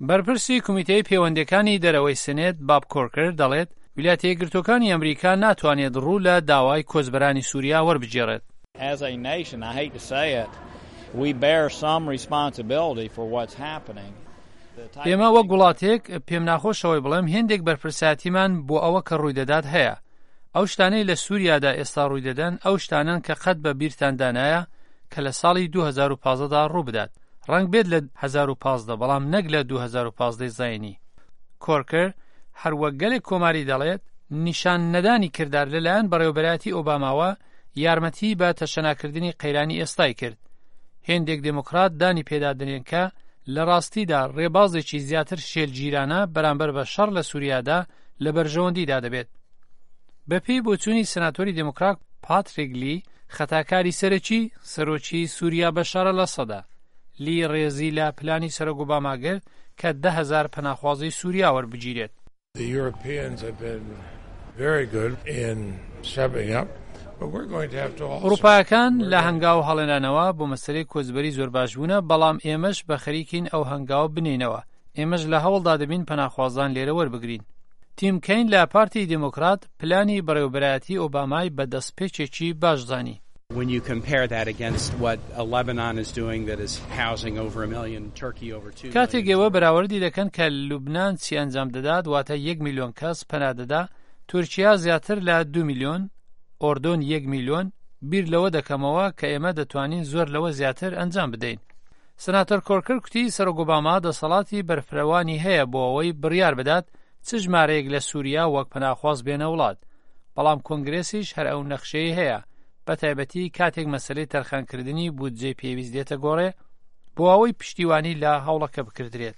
بەرپرسی کومیتەی پەیوەندیەکانی دەرەوەی سنێت باب کۆرکەر دەڵێت ویلایەتە یەکگرتووەکانی ئەمریکا ناتوانێت ڕوو لە داوای کۆچبەرانی سوریا وەربگێڕێت. As a nation, I hate to say it, we bear some responsibility for what's happening. ئێمە وەک وڵاتێک، پێم ناخۆشە ئەوەی بڵێم، هێندێک بەرپرسایەتیمان بۆ ئەوە کە ڕووی دەدات هەیە. ئەو شتانەی لە سوریادا ئێستا ڕووی دەدەن ئەو شتانەن کە قەت بە بیرتاندا نایە کە لە ساڵی 2015 دا ڕوو بدات. ڕەنگ بێت لە 1015 بەڵام نەک لە 2015 زایینی. کۆرکر هەر وەک گەلێک کۆماری دەڵێت، نیشان نەدانی کردار لەلایەن بەڕێوەبەرایەتی ئۆباماوە یارمەتیی بە تەشەناکردنی قەیرانی ئێستای کرد. هێندێک دێمۆکڕات دانی پێدا دەنێن کە لە ڕاستیدا ڕێبازێکی زیاتر شێلگیرانە بەرامبەر بە شەڕ لە سووریادا لە بەرژەوەندیدا دەبێت. بەپێی بۆچوونی سناتۆری دێمۆکڕات پاتریک لی، خەتاکاری سەرەکی، سەرۆکی سووریا بەشار ئەلئەسەدە. لی ڕێزی لە پلانی سەرۆک ئۆباما گرت کە 10,000 پەناخوازی سووریا وەربگیرێت. ئوڕووپایەکان لە هەنگاو هەڵێنانەوە بۆ مەسەلەی کۆچبەری زۆر باش بوونە، بەڵام ئێمەش بە خەریکین ئەو هەنگاوە بنێینەوە. ئێمەش لە هەوڵدا دەبین پەناخوازان لێرە وەربگرین. تیم کەین لە پارتی دێمۆکڕات پلانی بەڕێوەبەرایەتی ئۆبامای بە دەستپێکێکی باش زانی. کاتێک ئێوە بەراوردی دەکەن کە لوبنان چی ئەنجام دەدات، واتە یەک میلیۆن کەس پەنا دەدا، تورکیا زیاتر لە دو میلیۆن، ئۆردۆن یەک میلیۆن، بیر لەوە دەکەمەوە کە ئێمە دەتوانین زۆر لەوە زیاتر ئەنجام بدەین. سناتۆر کۆرکەر کوتی سەرۆک ئۆباما دەسەڵاتی بەرفرەوانی هەیە بۆ ئەوەی بڕیار بدات چ ژمارەیەک لە سووریا وەک پەناخواز بێنە وڵات، بەڵام کۆنگرێسیش هەر ئەو نەخشەی هەیە، بەتایبەتی کاتێک مەسەلەی تەرخانکردنی بودجەی پێویست دێتە گۆڕێ بۆ ئەوەی پشتیوانی لە هەوڵەکە بکردرێت.